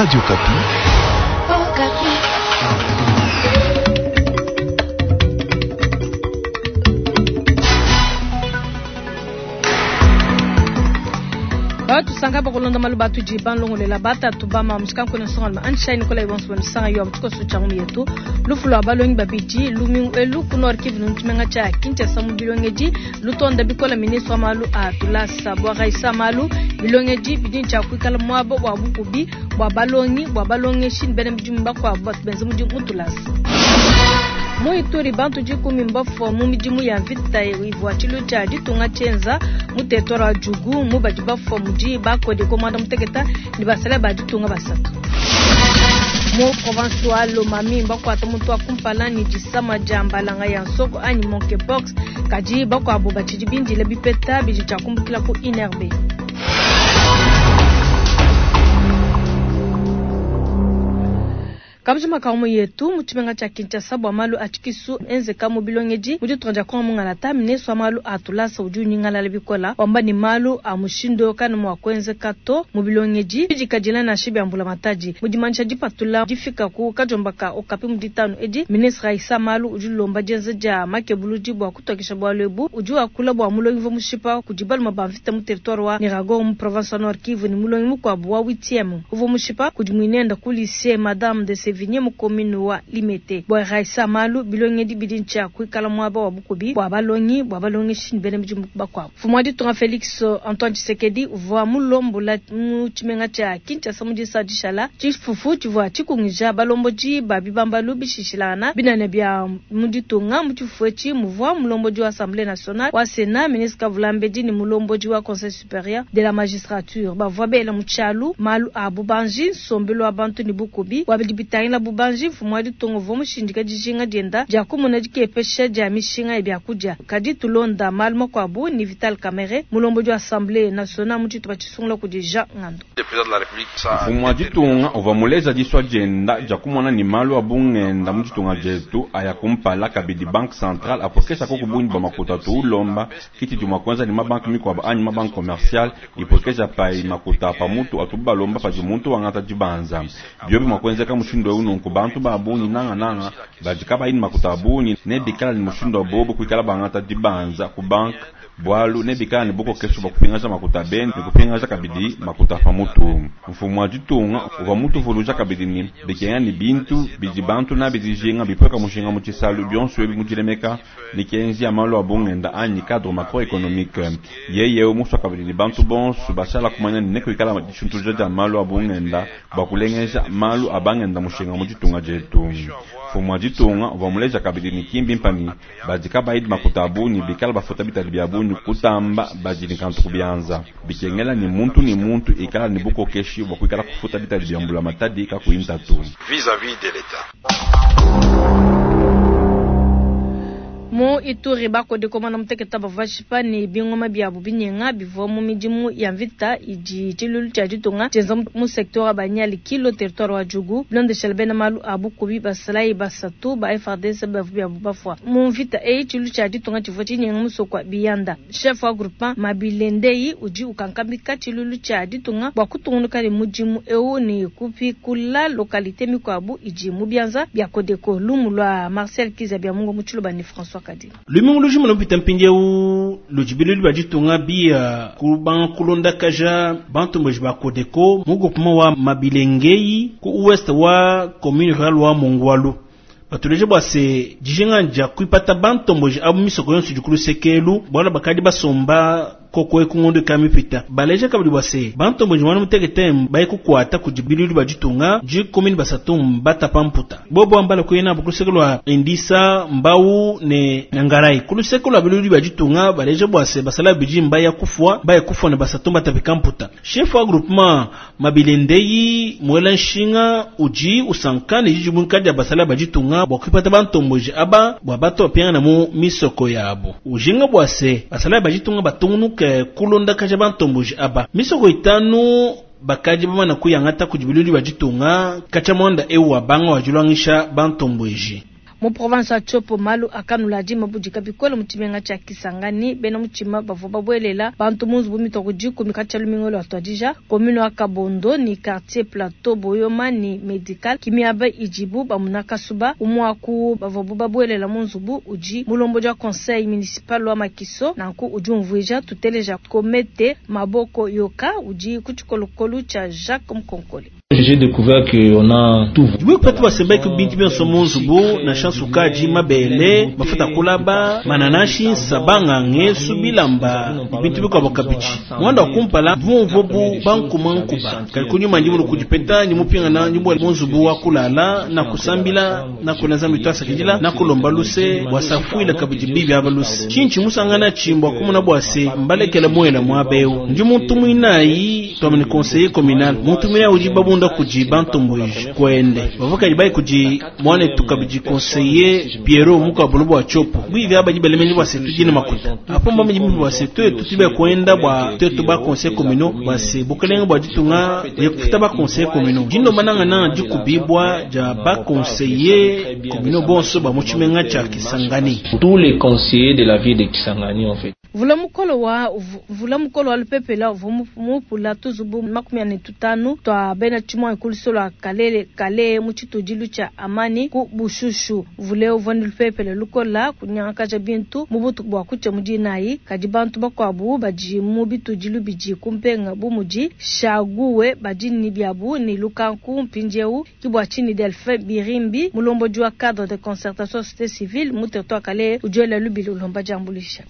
Radio Okapi. Tusanga bakulonda malu atudi balongolela batatu bama mushikankwena nsongaluma anshai nikolai bonso banisanga yo mutshikoso tshia ngumu yetu. Lufu lwa balongi babidi lumingu elu ku Nord Kivu ntshimenga tshia Kinshasa mu bilongedi lutonda bikola ministre wa malu a tulasa bwa Raissa malu bilongedi bidi tshia kuikala muaba wa bukubi bwa balongi bwa balongeshi ne bena midimu bakuabu batu benza mudimu mu tulasa. Mu Ituri bantu 10 mbafua mu midimu ya mvita ivua tshilu tshia ditunga tshienza mu territoire wa Djugu mu badi bafua mudi bakode komanda muteketa ne basala ba ditunga basatu. Mu province wa Lomami bakwata muntu wa kumpala ne disama dia mbalanga ya nsoko anyi monkeypox kadi bakwabo batshidi bindile bipeta bidi tshia kumbukila ku INRB. Kabujima ka mu yetu mu tshimenga tshia Kinshasa bua malu a tshikisu enzeka mu bilongedi mu ditunga dia Kongo mungalata ministre wa malu a tulasa udi unyingalala bikola wamba ni malu a mushindo kana mua kuenzeka to mu bilongedi bidikadila nansha bia mbulamatadi. Mu dimanyisha dipatula difika ku kajomba ka Okapi mu ditanu edi ministre Raissa Malu udi ulomba dienza dia makebuludi bua kutokesha bualu ebu. Udi wakula bua mulongi uvua mushipa kudi balume ba mvita mu territoire wa Nyiragongo mu province wa Nord Kivu ne mulongi mukuabu wa 8e uvua mushipa kudi muinenda ku lycée Madame de Sévigné mu commune wa Limete. Bua Raissa Malu bilongedi bidi ntshia kuikala muaba wa bukubi bua balongi bua balongeshi ne bena midimu bakuabu. Mfumu wa ditunga Felix Antoine Tshisekedi uvua mulombola mu tshimenga tshia Kinshasa mu disa dishala tshifufu tshivua tshikungija balombodi ba bibambalu bishishilangana binene bia mu ditunga. Mu tshifufu etshi muvua mulombodi wa Assemblée nationale wa Sénat ministre Kavulambedi ne mulombodi wa Conseil supérieur de la magistrature. Bavua bela mu tshialu malu a bubanji nsombelu wa bantu ne bukubi bua bidi bitangila bubanji. Mfumu wa ditunga uvua mushindika dijinga dienda dia kumona dikepesha dia mishinga ya biakudia. Kadi tulonda malu makuabu ni Vital Kamerhe mulombodi wa Assemblée nationale mu tshitupa tshisungula kudi Jean Ngando. Mfumu wa ditunga uvua muleja disua dienda dia kumona ni malu a bungenda mu ditunga dietu aya kumpala kabidi banque centrale apokesha koko bungi bwa makuta tuulomba kiti dimua kwanza ni mabanque mikuabu anyi mabanque commerciale ipokesha pai makuta pa mutu atubalomba padi muntu wangata dibanza. Biobi mua kuenzeka mushindu eu nunku bantu ba bungi nanga nanga badi kabayi ni makuta a bungi ne bikala ni mushindu wa bobo kuikala bangata dibanza ku banque bualu ne bikala ni bukokesho bwa kupingaja makuta beni ne kupingaja kabidi makuta pa mutu. Mfumu wa ditunga uvua mutuvuluja kabidi ni bikenga ni bintu bidi bantu na bidijinga bipoka mushinga mu tshisalu bionso ebi mudilemeka mikenji ya malu a bungenda anyi cadre macroéconomique. Yeye muswa kabidi ni bantu bonso bashala kumanya ni nekuikala dishuntuja dia malu a bungenda bwa kulengeja malu a bangenda mushinga mu ditunga dietu. Mfumu wa ditunga uvua muleja kabidi ni kimbi mpani badi kabayi makuta a bungi bikala bafuta bitadi bia bungi kutamba badi ni kantu kubianza bikengela ni muntu ni muntu ikala ni bukokeshi bwa kuikala kufuta bitadi bia mbula matadi kakuyi ntatu. Vis-à-vis de l'État. Mu Ituri bakode komanda muteketa bavua bashipa ne bingoma biabu binyenga bivua mu midimu ya mvita idi tshilulu tshia ditunga tshienza mu secteur wa Banyali Kilo territoire wa Djugu. Bilondeshela bena malu a bukubi basalayi basatu ba FARDC bavua biabu bafua mu mvita eyi. Tshilulu tshia ditunga tshivua tshinyenga musoko wa Biyanda. Chef wa groupement Mabilendei udi ukankamika tshilulu tshia ditunga bua kutungunuka ne mudimu eu ne kupikula localité mikuabu idi mu bianza bia Codeco. Lumu lwa Marcel Kiza bia Mungu mu Tshiluba ne François Kadi. Lumingu lujima lupita mpindieu lujibilu lwa ditunga bia kubanga kulonda kaja bantu mbeji ba Codeco mu groupement wa Mabilengei ku ouest wa commune rurale wa Mongwalu. Batuleje bwa se dijinga dia kuipata bantu mbeji abu misoko yonso dikulu sekelu bwala bakadi basomba koko ekungondo ka mipita. Baleje kabidi bwa se bantu mbeji mwana mutekete baye kukwata kujibilu lwa ditunga ji commune basatu mbata pamputa. Bobo ambala kuyena bukusekelo lwa Indisa Mbau ne Nangarai. Kulusekelo lwa bilulu lwa ditunga baleje bwa se basala biji mbaya kufwa baye kufwa ne basatu mbata pikamputa. Chef wa groupement Mabilendei mwela nshinga uji usankane jiji munkadi ya basala bajitunga bwa kuipata bantu mbeji aba bwa bato pianga na mu misoko yabo. Ujinga bwa se basala bajitunga batungunuka kulonda kaja bantomboji aba misoko itanu bakaji bamana kuyangata kujibiluli bajitunga kacha mwanda ewa banga wajulwangisha bantomboji. Mu province wa Tshopo, malu a kanula adi mabudika bikole mu tshimenga tshia Kisangani. Bena mutshima bavua babuelela bantu mu nzubu mitua ku dikumi katshia lumingu luatuadija. Commune wa Kabondo ne quartier Plateau Boyoma ne Medical ki miaba idibu bamuna kasuba. Umue wa ku bavuabu babuelela mu nzubu udi mulombodi wa conseil municipal wa Makiso. Nanku udi umvuija. Tuteleja Komete Maboko Yoka udi ku tshikolokolu tshia Jacques Mukonkole. J'ai découvert que on a tout. Dibue basembaki bintu bionso mu nzubu nansha nsukadi, mabele, mafuta a kulaba, mananashi, nsabanga, ngesu, bilamba ne bintu bikuabo kabidi. Muanda wa kumpala mvua bu bankuma nkuba, kadi kunyima ndi mulue kudipeta ndi mupingana ndi mubuele mu nzubu wa kulala na kusambila na kuela Nzambi tuasakidila na kulomba luse bua safuila kabidi bibi aba luse. Tshinyi tshimusangana tshi mbua kumona bua se mbalekela muela muaba eu. Ndi muntu muinayi tuambe ne conseiller communal, muntu muinayi udi babunda kudi bantomboji kuende bavua kadi bayi kudi muanetu kabidi conseiller Pierrot mukuabo bua Tshopo. Bibi aba badi bela meji bua se tudi ne makuta apo mbamenyi bibi bua se tuetu tudi kuenda bua tuetu ba conseil communaux bua se bukelenge bua ditunga kufuta ba conseil communaux dindomba nangananga dikubibua dia ba conseiller communaux bonso ba mu tshimenga tshia Kisangani. Tous les conseillers de la ville de Kisangani en fait. Mvula mukole wa mvula mukole wa lupepele uvua mupula tuzubu 45 tua bena tshimuangi ku luseke lua Kalele Kale mu tshitudilu tshia Amani ku Bushushu. Mvula eu uvua ne lupepele lukola kunyangakaja bintu mu butuku bua kutshia mu dinayi. Kadi bantu bakuabu badi mu bitudilu bidi ku mpenga bu mudi Shaguwe badi ne biabu ne lukanku mpindieu. Ke bua tshinyi Delphin Birimbi, mulombodi wa cadre de concertation société civile mu territoire Kalehe, udi wela lubila ulomba diambuluisha.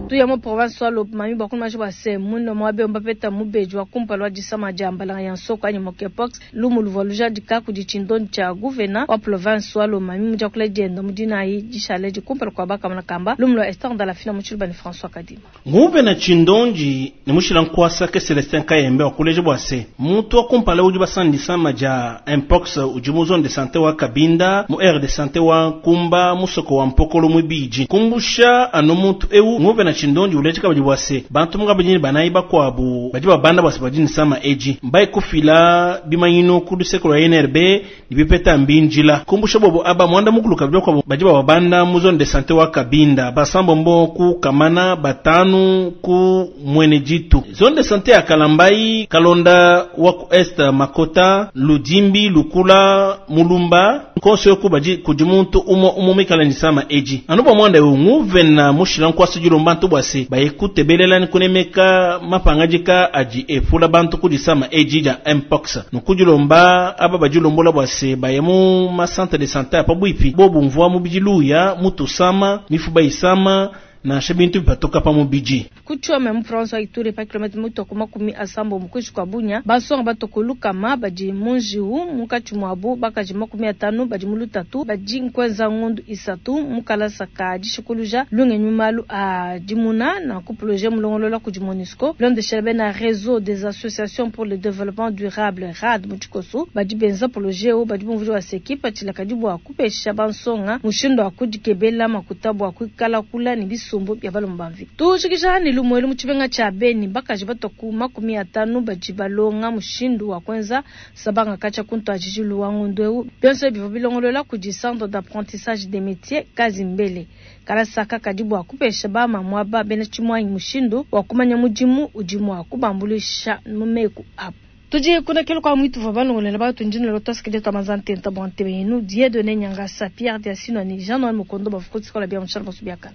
Tuya mu province wa Lomami bua kumanya bua se muine muaba eu mbapeta mubedi wa kumpala wa disama dia mbalanga ya nsoko anyi monkeypox. Lumu luvua lujadika kudi tshindondi tshia gouvena wa province wa Lomami mu diakula dienda mu dinayi dishale edi kumpala kua bakamona kamba. Lumu lua Esther Ndalafina mu Tshiluba ne François Kadima. Nguvena tshindondi ne mushila nkuasa ke Celestin Kayembe wakuleja bua se muntu wa kumpala udi basana disama dia mpox udi mu zone de sante wa Kabinda mu aire de sante wa Nkumba musoko wa Mpokolo muibidi. Kumbusha anu muntu eu, nguvena tshindondi uleja kabidi bua se bantu mungabidi ne banayi bakuabu badi babanda bua se badi ne disama edi mbaye kufila bimanyinu ku luseke lua INRB ne bipeta mbindila. Kumbusha bobo aba muanda mukulu kabidi bakuabu badi bababanda mu zone de sante wa Kabinda, basambombo ku Kamana, batanu ku Mweneditu. Zone de sante ya Kalambayi, Kalonda wa ku Est, Makota, Ludimbi, Lukula, Mulumba konso yoku badi kudi muntu umue umue muikale ne disama edi. Anu bua muanda eu nguvena mushila nkuasa dilomba bantu bua se baye kutebelela ne kunemeka mapangadika adi epula bantu ku disama edi dia mpox. Nunku dilomba aba badilombola bua se baye mu ma centre de sante a pabuipi bo bumvua mubidi luya, mutu usama, mifuba isama, nansha bintu bipatuka pa mubidi. Ku Tchome, mu province wa Ituri, pa kilometre mutua ku 80 kuinshi kua Bunia, bansonga batua ku lukama badi mu njiwu, munkatshi muabu bakaji 50 badi mu lutatu, badi nkuenza ngondu 3 mu kalasa ka dishikuluja lungenyi mu malu a dimuna. Nanku projet mulongolola kudi Monusco bilondeshela bena Reseau des associations pour le développement durable RAD mu tshikoso badi benza projet eu badi bumvuija bua se kipatshila kadi bua kupesha bansonga mushindu wa kudikebela makuta bua kuikala kula ne bisumbu bia balume ba mvita. Tujikija ne lumuelu mu tshimenga tshia Beni, bakaji batua ku 50 badi balonga mushindu wa kuenza sabanga katshia ku ntuadijilu wa ngondo eu. Bionso ebi bivua bilongolola kudi Centre d'apprentissage des métiers Kazimbele. Kalasa aka kadi bua kupesha bamamu aba bena tshimuangi mushindu wa kumanya mudimu udi mua kubambuluisha mu meku abu. Tudi kunekelu kua muitu vua balongolela batu ndi ne lotoskile tua manza ntenta bua ntebe yenu Dieudonné Nyangasa, Pierre Diasino ne Jean Noël Mukondo bavua ku tshikola bia mutshala basu biakana.